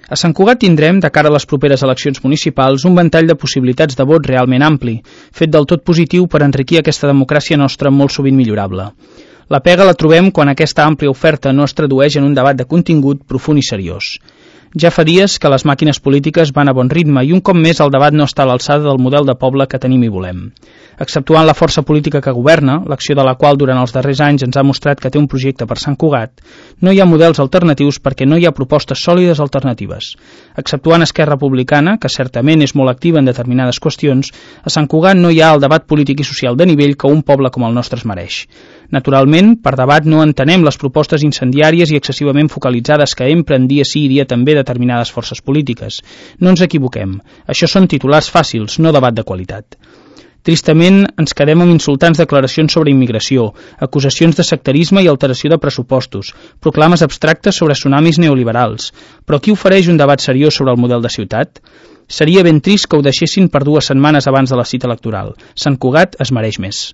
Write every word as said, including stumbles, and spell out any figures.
A Sant Cugat tindrem, de cara a les properes eleccions municipals, un ventall de possibilitats de vot realment ampli, fet del tot positiu per enriquir aquesta democràcia nostra molt sovint millorable. La pega la trobem quan aquesta àmplia oferta no es tradueix en un debat de contingut profund i seriós. Ja fa dies que les màquines polítiques van a bon ritme i un cop més el debat no està a l'alçada del model de poble que tenim i volem. Exceptuant la força política que governa, l'acció de la qual durant els darrers anys ens ha mostrat que té un projecte per Sant Cugat, no hi ha models alternatius perquè no hi ha propostes sòlides alternatives. Exceptuant Esquerra Republicana, que certament és molt activa en determinades qüestions, a Sant Cugat no hi ha el debat polític i social de nivell que un poble com el nostre es mereix. Naturalment, per debat no entenem les propostes incendiàries i excessivament focalitzades que empren dia sí i dia també determinades forces polítiques. No ens equivoquem. Això són titulars fàcils, no debat de qualitat. Tristament, ens quedem amb insultants declaracions sobre immigració, acusacions de sectarisme i alteració de pressupostos, proclames abstractes sobre tsunamis neoliberals. Però qui ofereix un debat seriós sobre el model de ciutat? Seria ben trist que ho deixessin per dues setmanes abans de la cita electoral. Sant Cugat es mereix més.